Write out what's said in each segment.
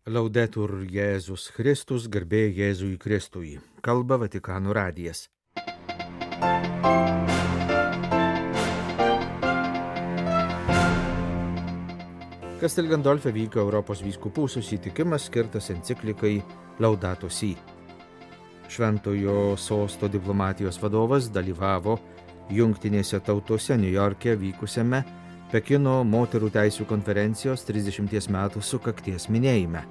Laudetur Jėzus Kristus, garbė Jėzui Kristui. Kalba Vatikano radijas. Castel Gandolfe vyko Europos vyskupų susitikimas skirtas enciklikai Laudato Si. Šventojo sosto diplomatijos vadovas dalyvavo Jungtinėse tautose Niujorke vykusiame Pekino moterų teisių konferencijos 30 metų sukakties minėjime.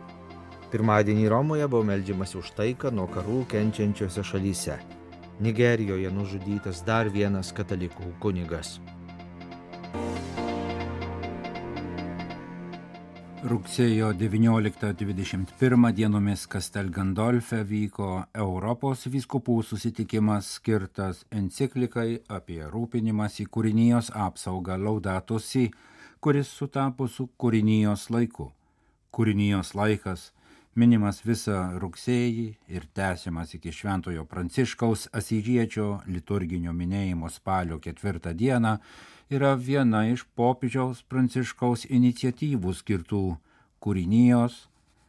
Pirmadienį Romoje buvo meldžiamasi už taiką nuo karų kenčiančiose šalyse. Nigerijoje nužudytas dar vienas katalikų kunigas. Rugsėjo 19-21 dienomis Castel Gandolfe vyko Europos vyskupų susitikimas skirtas enciklikai apie rūpinimąsi kūrinijos apsaugą Laudato Si, kuris sutapo su kūrinijos laiku. Kūrinijos laikas minimas visą rugsėjį ir tęsiamas iki Šventojo Pranciškaus Asyžiečio liturginio minėjimo spalio 4 dieną yra viena iš popiežiaus Pranciškaus iniciatyvų skirtų kūrinijos,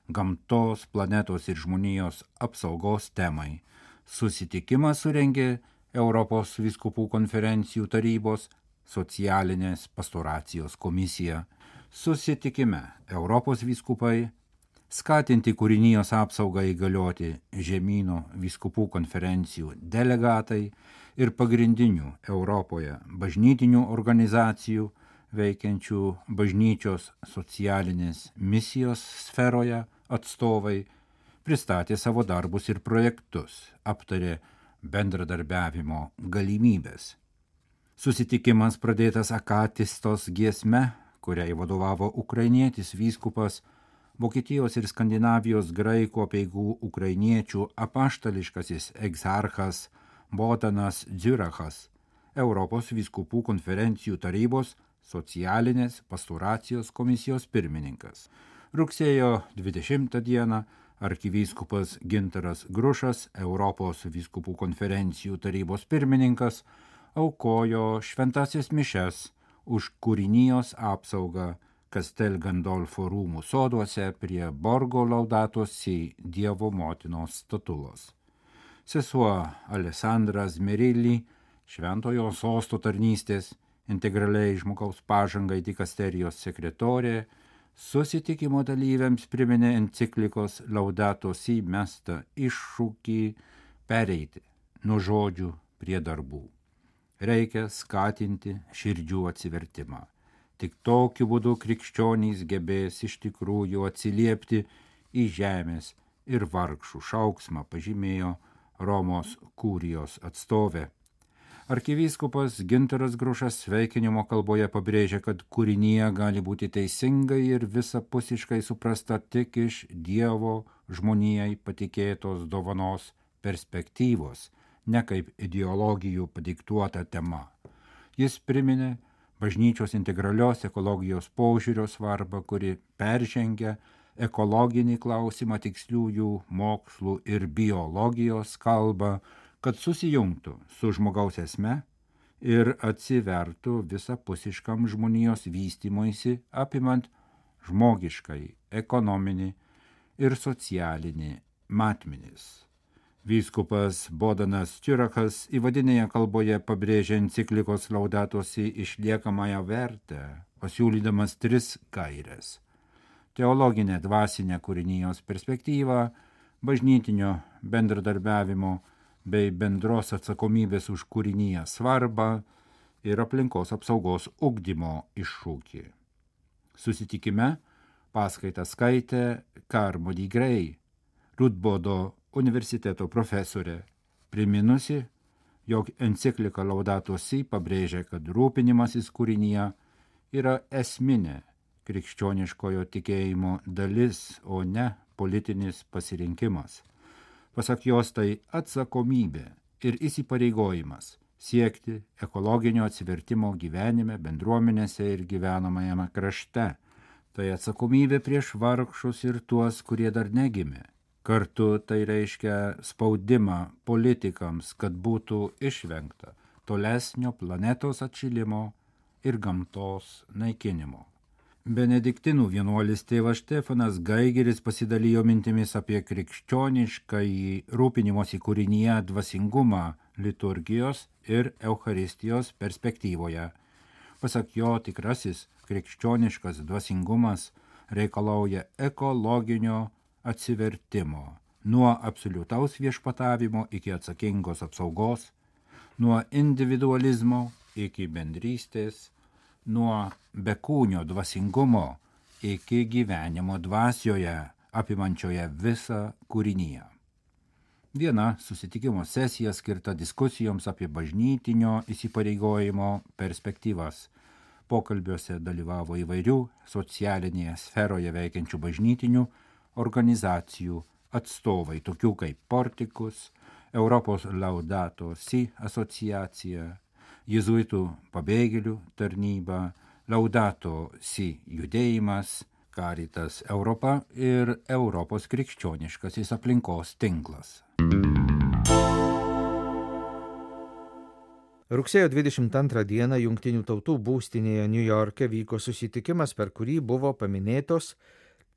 gamtos, planetos ir žmonijos apsaugos temai. Susitikimą surengė Europos vyskupų konferencijų tarybos socialinės pastoracijos komisija. Susitikime Europos vyskupai skatinti kūrinijos apsaugą įgalioti žemynų vyskupų konferencijų delegatai ir pagrindinių Europoje bažnytinių organizacijų veikiančių bažnyčios socialinės misijos sferoje atstovai pristatė savo darbus ir projektus, aptarė bendradarbiavimo galimybės. Susitikimas pradėtas akatistos giesme, kuriai vadovavo ukrainietis vyskupas, Vokietijos ir Skandinavijos graikų apeigų ukrainiečių apaštališkasis egzarchas Bohdanas Dziurachas, Europos vyskupų konferencijų tarybos socialinės pastoracijos komisijos pirmininkas. Rugsėjo 20 dieną arkivyskupas Gintaras Grušas, Europos vyskupų konferencijų tarybos pirmininkas, aukojo šventąsias mišias už kūrinijos apsaugą Castel Gandolfo rūmų soduose prie Borgo Laudato Si Dievo motinos statulos. Sesuo Alessandra Zmirilli, Šventojo sosto tarnystės integraliai žmogaus pažangai dikasterijos sekretorė, susitikimo dalyviams priminė enciklikos Laudato Si mestą iššūkį pereiti nuo žodžių prie darbų. Reikia skatinti širdžių atsivertimą. Tik tokiu būdu krikščionys gebės iš tikrųjų atsiliepti į žemės ir vargšų šauksmą, pažymėjo Romos kurijos atstovė. Arkivyskupas Gintaras Grušas sveikinimo kalboje pabrėžė, kad kūrinija gali būti teisingai ir visapusiškai suprasta tik iš Dievo žmonijai patikėtos dovanos perspektyvos, ne kaip ideologijų padiktuota tema. Jis priminė bažnyčios integralios ekologijos požiūrio svarbą, kuri peržengia ekologinį klausimą tiksliųjų mokslų ir biologijos kalbą, kad susijungtų su žmogaus esme ir atsivertų visapusiškam žmonijos vystymuisi, apimant žmogiškai, ekonominį ir socialinį matmenis. Vyskupas Bohdanas Dziurachas įvadinėje kalboje pabrėžė enciklikos Laudato Si išliekamąją vertę, pasiūlydamas 3 gaires: teologinę dvasinę kūrinijos perspektyvą, bažnytinio bendradarbiavimo bei bendros atsakomybės už kūriniją svarbą ir aplinkos apsaugos ugdymo iššūkį. Susitikime paskaitą skaitė Carmody Gray, Rudbodo universiteto profesorė, priminusi, jog enciklika Laudato Si pabrėžia, kad rūpinimasis kūrinyje yra esminė krikščioniškojo tikėjimo dalis, o ne politinis pasirinkimas. Pasak jos, tai atsakomybė ir įsipareigojimas siekti ekologinio atsivertimo gyvenime, bendruomenėse ir gyvenamajame krašte. Tai atsakomybė prieš vargšus ir tuos, kurie dar negimė. Kartu tai reiškia spaudimą politikams, kad būtų išvengta tolesnio planetos atšilimo ir gamtos naikinimo. Benediktinų vienuolis tėvas Štefanas Gaigeris pasidalijo mintimis apie krikščioniškąjį rūpinimosi kūrinyje dvasingumą liturgijos ir Eucharistijos perspektyvoje. Pasak jo, tikrasis krikščioniškas dvasingumas reikalauja ekologinio atsivertimo, nuo absoliutaus viešpatavimo iki atsakingos apsaugos, nuo individualizmo iki bendrystės, nuo bekūnio dvasingumo iki gyvenimo dvasioje, apimančioje visą kūrinyje. Viena susitikimo sesija skirta diskusijoms apie bažnytinio įsipareigojimo perspektyvas. Pokalbiuose dalyvavo įvairių socialinėje sferoje veikiančių bažnytinių organizacijų atstovai, tokių kaip Portikus, Europos Laudato Si asociacija, Jėzuitų pabėgėlių tarnyba, Laudato Si judėjimas, Caritas Europa ir Europos krikščioniškasis aplinkos tinklas. Rugsėjo 22 dieną Jungtinių tautų būstinėje Niujorke vyko susitikimas, per kurį buvo paminėtos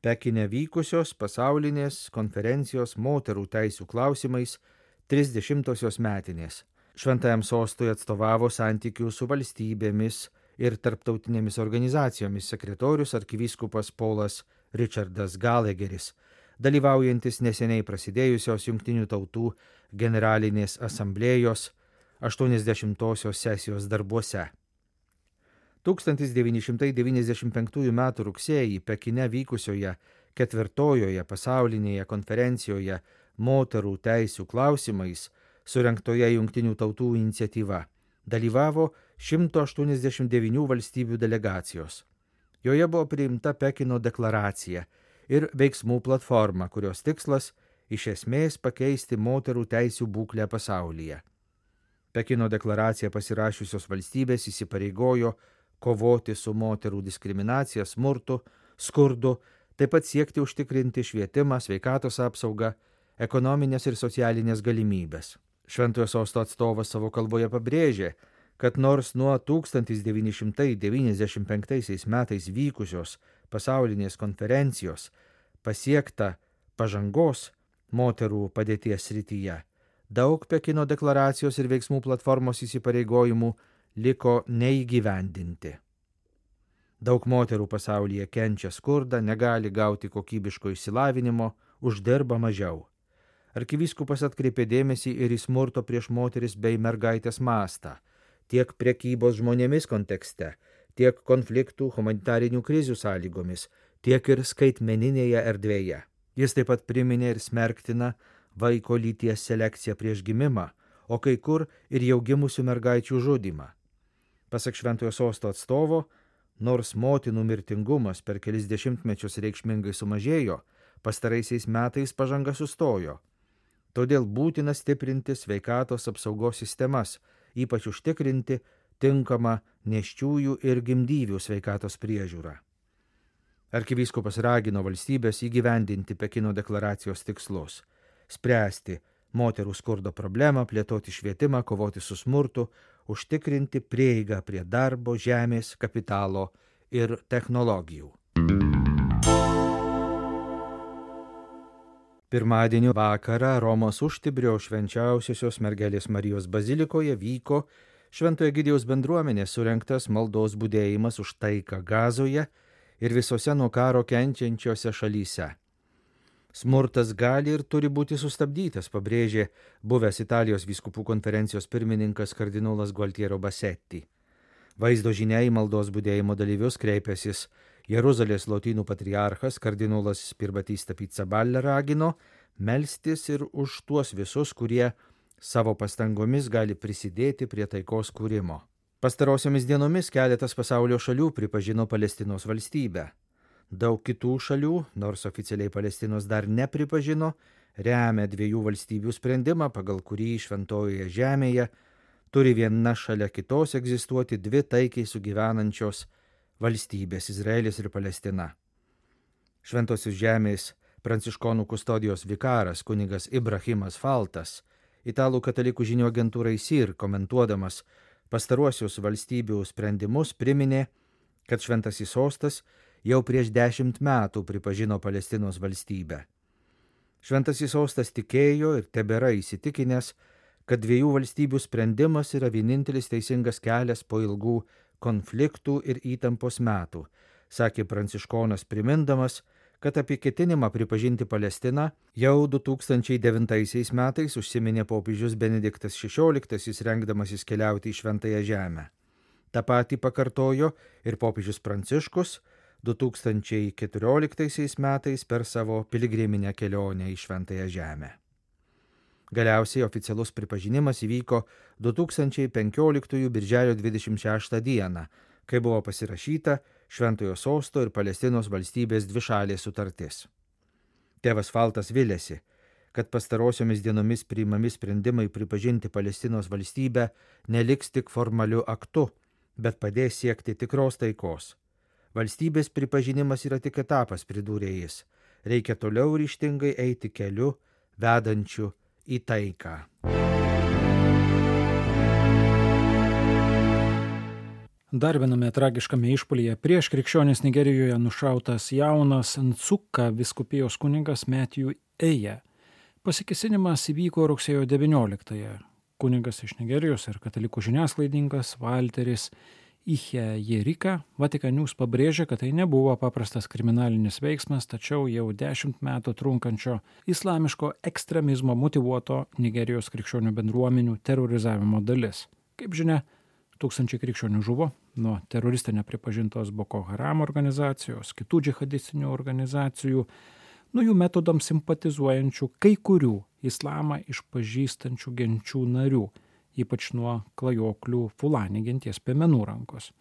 Pekine vykusios pasaulinės konferencijos moterų teisių klausimais 30-osios metinės. Šventajam sostui atstovavo santykių su valstybėmis ir tarptautinėmis organizacijomis sekretorius arkivyskupas Paulas Richardas Gallagheris, dalyvaujantis neseniai prasidėjusios Jungtinių tautų generalinės asamblėjos 80-osios sesijos darbuose. 1995 m. rugsėjį Pekine vykusioje 4-ojoje pasaulinėje konferencijoje moterų teisių klausimais surengtoje Jungtinių tautų iniciatyva dalyvavo 189 valstybių delegacijos. Joje buvo priimta Pekino deklaracija ir veiksmų platforma, kurios tikslas iš esmės pakeisti moterų teisių būklę pasaulyje. Pekino deklaraciją pasirašiusios valstybės įsipareigojo kovoti su moterų diskriminacija, smurtu, skurdu, taip pat siekti užtikrinti švietimą, sveikatos apsaugą, ekonominės ir socialinės galimybės. Šventojo sosto atstovas savo kalboje pabrėžė, kad nors nuo 1995 metais vykusios pasaulinės konferencijos pasiekta pažangos moterų padėties srityje, daug Pekino deklaracijos ir veiksmų platformos įsipareigojimų liko neįgyvendinti. Daug moterų pasaulyje kenčia skurdą, negali gauti kokybiško išsilavinimo, uždirba mažiau. Arkivyskupas atkreipė dėmesį ir į smurto prieš moteris bei mergaitės mastą, tiek prekybos žmonėmis kontekste, tiek konfliktų humanitarinių krizių sąlygomis, tiek ir skaitmeninėje erdvėje. Jis taip pat priminė ir smerktina vaiko lyties selekciją prieš gimimą, o kai kur ir jau gimusių mergaičių žudymą. Pasak Šventojo sosto atstovo, nors motinų mirtingumas per kelis dešimtmečius reikšmingai sumažėjo, pastaraisiais metais pažanga sustojo. Todėl būtina stiprinti sveikatos apsaugos sistemas, ypač užtikrinti tinkamą nėščiųjų ir gimdyvių sveikatos priežiūrą. Arkivyskupas ragino valstybės įgyvendinti Pekino deklaracijos tikslus, spręsti moterų skurdo problemą, plėtoti švietimą, kovoti su smurtu, užtikrinti prieigą prie darbo, žemės, kapitalo ir technologijų. Pirmadienio vakarą Romos Užtibrio švenčiausiosios mergelės Marijos bazilikoje vyko Šventojo Egidijaus bendruomenės surengtas maldos budėjimas už taiką Gazoje ir visose nuo karo kenčiančiose šalyse. Smurtas gali ir turi būti sustabdytas, pabrėžė buvęs Italijos vyskupų konferencijos pirmininkas kardinolas Gualtiero Bassetti. Vaizdo žinia į maldos budėjimo dalyvius kreipęsis Jeruzalės lotynų patriarchas kardinolas Pirbatista Pizzaballa ragino melstis ir už tuos visus, kurie savo pastangomis gali prisidėti prie taikos kūrimo. Pastarosiomis dienomis keletas pasaulio šalių pripažino Palestinos valstybę. Daug kitų šalių, nors oficialiai Palestinos dar nepripažino, remia dviejų valstybių sprendimą, pagal kurį šventojoje žemėje turi viena šalia kitos egzistuoti dvi taikiai sugyvenančios valstybės Izraelis ir Palestina. Šventosios žemės pranciškonų kustodijos vikaras kunigas Ibrahimas Faltas, italų katalikų žinių agentūrai SIR komentuodamas pastaruosius valstybių sprendimus priminė, kad šventasis sostas jau prieš 10 metų pripažino Palestinos valstybę. Šventasis sostas tikėjo ir tebėra įsitikinęs, kad 2 valstybių sprendimas yra vienintelis teisingas kelias po ilgų konfliktų ir įtampos metų, sakė pranciškonas, primindamas, kad apie ketinimą pripažinti Palestiną jau 2009 metais užsiminė popiežius Benediktas XVI, rengdamasis keliauti į Šventąją Žemę. Ta patį pakartojo ir popiežius Pranciškus 2014 metais per savo piligriminę kelionę į Šventąją Žemę. Galiausiai oficialus pripažinimas įvyko 2015 birželio 26 dieną, kai buvo pasirašyta Šventojo sosto ir Palestinos valstybės dvišalė sutartis. Tėvas Faltas vilėsi, kad pastarosiomis dienomis priimami sprendimai pripažinti Palestinos valstybę neliks tik formaliu aktu, bet padės siekti tikros taikos. Valstybės pripažinimas yra tik etapas, pridūrė jis. Reikia toliau ryžtingai eiti keliu, vedančiu į taiką. Dar viename tragiškame išpuolyje prieš krikščionis Nigerijoje nušautas jaunas Nsukka vyskupijos kunigas Matthew Eja. Pasikėsinimas įvyko rugsėjo 19-ąją. Kunigas iš Nigerijos ir katalikų žiniasklaidininkas Walteris Ihejerika Vatican News pabrėžė, kad tai nebuvo paprastas kriminalinis veiksmas, tačiau jau 10 metų trunkančio islamiško ekstremizmo motyvuoto Nigerijos krikščionių bendruomenių terorizavimo dalis. Kaip žinia, 1000 krikščionių žuvo nuo teroristinė pripažintos Boko Haram organizacijos, kitų džihadistinių organizacijų, nuo jų metodams simpatizuojančių kai kurių islamą išpažįstančių genčių narių, ypač nuo klajoklių Fulani genties piemenų rankos.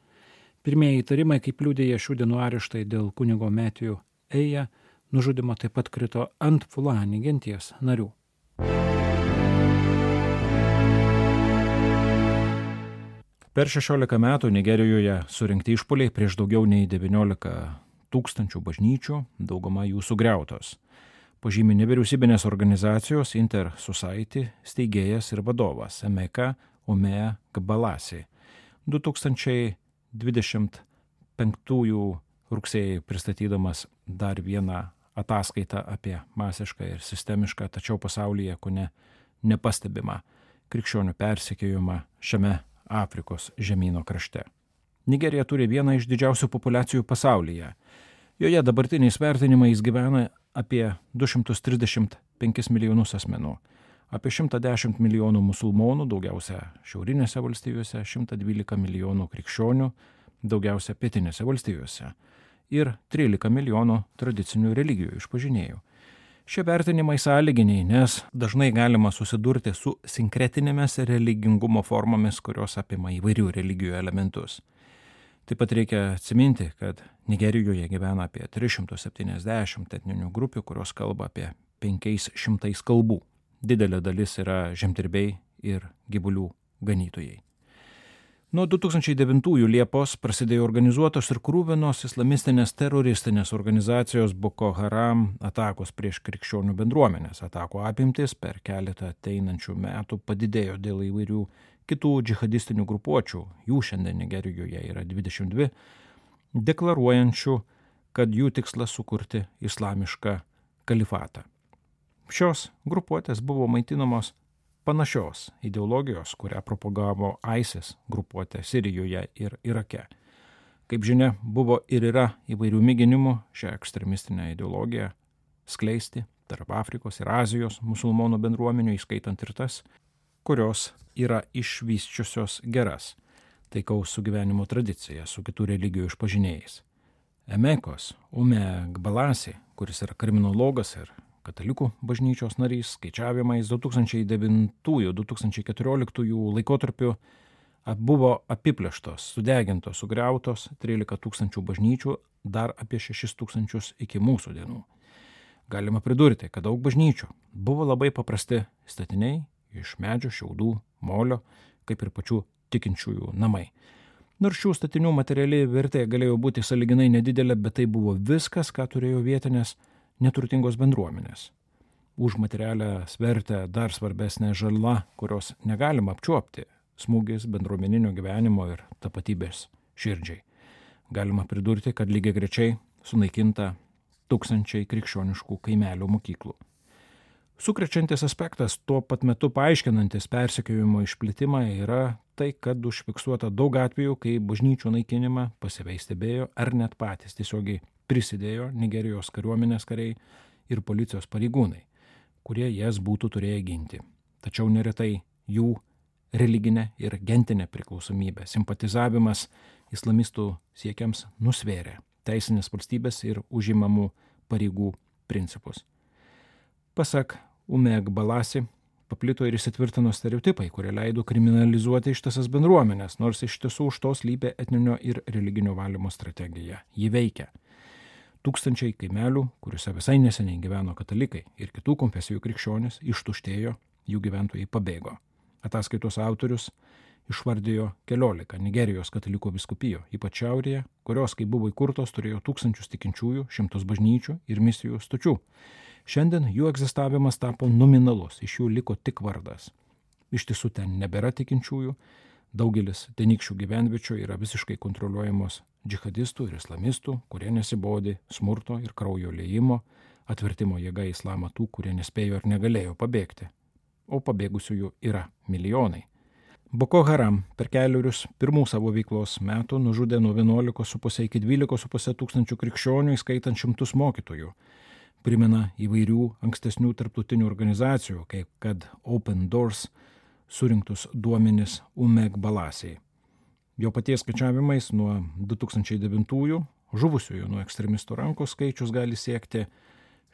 Pirmieji įtarimai, kaip liudija šių dienų areštai dėl kunigo Matthew Eja, nužudymo taip pat krito ant Fulani genties narių. Per 16 metų Nigerijoje surinkti išpuoliai prieš daugiau nei 19 000 bažnyčių, dauguma jų sugriautos. Pažymi nevyriausybinės organizacijos Inter Society steigėjas ir vadovas Emeka Umea Gbalasi. 2025 rugsėjį pristatydamas dar vieną ataskaitą apie masišką ir sistemišką, tačiau pasaulyje kone nepastebimą krikščionių persekiojimą šiame Afrikos žemyno krašte. Nigerija turi vieną iš didžiausių populiacijų pasaulyje. Joje dabartiniais vertinimais gyvena apie 235 milijonus asmenų, apie 110 milijonų musulmonų, daugiausia šiaurinėse valstijose, 112 milijonų krikščionių, daugiausia pietinėse valstijose ir 13 milijonų tradicinių religijų išpažinėjų. Šie vertinimai sąlyginiai, nes dažnai galima susidurti su sinkretinėmis religingumo formomis, kurios apima įvairių religijų elementus. Taip pat reikia atsiminti, kad Nigerijoje gyvena apie 370 etninių grupių, kurios kalba apie 500 kalbų. Didelė dalis yra žemdirbiai ir gyvulių ganytojai. Nuo 2009 Liepos prasidėjo organizuotos ir krūvinos islamistinės teroristinės organizacijos Boko Haram atakos prieš krikščionių bendruomenės. Atakų apimtis per keletą ateinančių metų padidėjo dėl įvairių kitų džihadistinių grupuočių. Jų šiandien Nigerijoje yra 22, deklaruojančių, kad jų tikslas sukurti islamišką kalifatą. Šios grupuotės buvo maitinamos panašios ideologijos, kurią propagavo ISIS grupuotė Sirijoje ir Irake. Kaip žinia, buvo ir yra įvairių mėginimų šią ekstremistinę ideologiją skleisti tarp Afrikos ir Azijos musulmonų bendruomenių, įskaitant ir tas, kurios yra išvysčiusios geras taikaus sugyvenimo tradiciją su kitų religijų išpažinėjais. Emekos Umea Gbalasi, kuris yra kriminologas ir katalikų bažnyčios narys, skaičiavimais 2009-2014 laikotarpiu buvo apiplėštos, sudegintos, sugriautos 13 000 bažnyčių, dar apie 6 000 iki mūsų dienų. Galima pridurti, kad daug bažnyčių buvo labai paprasti statiniai iš medžio, šiaudų, molio, kaip ir pačių tikinčiųjų namai. Nors šių statinių materiali vertė galėjo būti sąlyginai nedidelė, bet tai buvo viskas, ką turėjo vietinės neturtingos bendruomenės. Už materialę vertę dar svarbesnė žala, kurios negalima apčiuopti, smūgis bendruomeninio gyvenimo ir tapatybės širdžiai. Galima pridurti, kad lygiai grečiai sunaikinta tūkstančiai krikščioniškų kaimelių mokyklų. Sukrečiantis aspektas, tuo pat metu paaiškinantis persekiojimo išplitimą yra tai, kad užfiksuota daug atvejų, kai bažnyčių naikinimą pasyviai stebėjo ar net patys tiesiogiai prisidėjo Nigerijos kariuomenės kariai ir policijos pareigūnai, kurie jas būtų turėję ginti. Tačiau neretai jų religinė ir gentinė priklausomybė, simpatizavimas islamistų siekiams nusvėrė teisinės valstybės ir užimamų pareigų principus. Pasak Umek Balasi, paplito ir įsitvirtino stereotipai, kurie leido kriminalizuoti ištisas bendruomenės, nors iš tiesų už to slypė etninio ir religinio valymo strategija. Ji veikia. Tūkstančiai kaimelių, kuriuose visai neseniai gyveno katalikai ir kitų konfesijų krikščionys, ištuštėjo, jų gyventojai pabėgo. Ataskaitos autorius išvardijo 14 Nigerijos katalikų vyskupijų, ypač šiaurėje, kurios, kai buvo įkurtos, turėjo tūkstančius tikinčiųjų, 100 bažnyčių ir misijų stočių. Šiandien jų egzistavimas tapo nominalus, iš jų liko tik vardas. Iš tiesų ten nebėra tikinčiųjų, daugelis tenykščių gyvenviečių yra visiškai kontroliuojamos džihadistų ir islamistų, kurie nesibodi smurto ir kraujo liejimo, atvertimo jėga į islamą tų, kurie nespėjo ir negalėjo pabėgti. O pabėgusiųjų yra milijonai. Boko Haram per kelerius pirmų savo veiklos metų nužudė nuo 11,5 iki 12,5 tūkstančių krikščionių, įskaitant 100 mokytojų. Primena įvairių ankstesnių tarptautinių organizacijų, kaip kad Open Doors surinktus duomenis Umek Balasiai. Jo paties skaičiavimais nuo 2009 žuvusiųjų nuo ekstremistų rankos skaičius gali siekti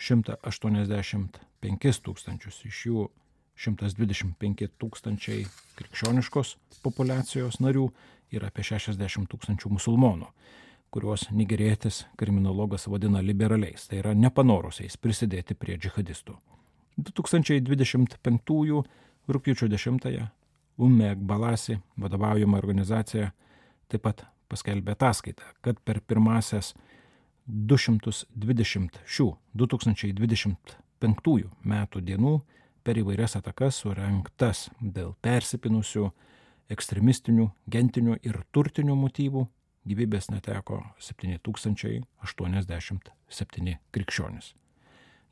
185 tūkstančius, iš jų 125 tūkstančiai krikščioniškos populiacijos narių ir apie 60 tūkstančių musulmonų, kuriuos nigerietis kriminologas vadina liberaliais, tai yra nepanorusiais prisidėti prie džihadistų. 2025 rugpjūčio 10 Umek Balasi vadovaujama organizacija taip pat paskelbė ataskaitą, kad per pirmasias 220 šių 2025 metų dienų per įvairias atakas surengtas dėl persipinusių ekstremistinių, gentinių ir turtinių motyvų gyvybės neteko 7087 krikščionys.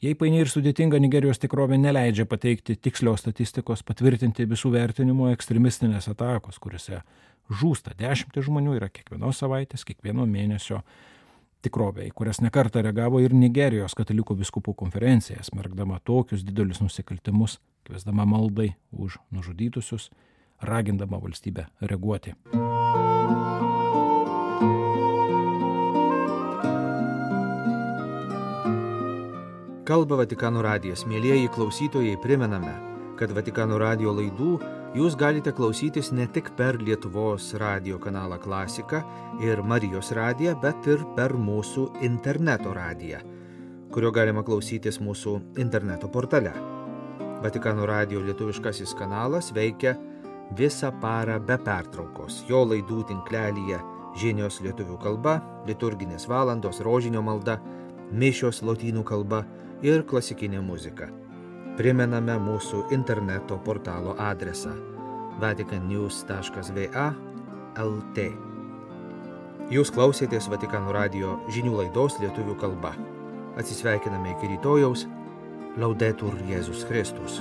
Jei paini ir sudėtinga Nigerijos tikrovė neleidžia pateikti tikslios statistikos, patvirtinti visų vertinimo ekstremistinės atakos, kuriuose žūsta 10 žmonių, yra kiekvienos savaitės, kiekvieno mėnesio tikrovė, į kurias nekartą reagavo ir Nigerijos katalikų vyskupų konferencija, smerkdama tokius didelius nusikaltimus, kviesdama maldai už nužudytusius, ragindama valstybę reaguoti. Kalba Vatikano radijas. Mielieji klausytojai, primename, kad Vatikano radijo laidų jūs galite klausytis ne tik per Lietuvos radijo kanalą Klasika ir Marijos radiją, bet ir per mūsų interneto radiją, kurio galima klausytis mūsų interneto portale. Vatikano radijo lietuviškasis kanalas veikia visą parą be pertraukos. Jo laidų tinklelyje žinios lietuvių kalba, liturginės valandos, rožinio malda, mišios lotynų kalba ir klasikinė muzika. Primename mūsų interneto portalo adresą vaticannews.va/lt. Jūs klausėtės Vatikano radijo žinių laidos lietuvių kalba. Atsisveikiname iki rytojaus. Laudetur Jėzus Kristus.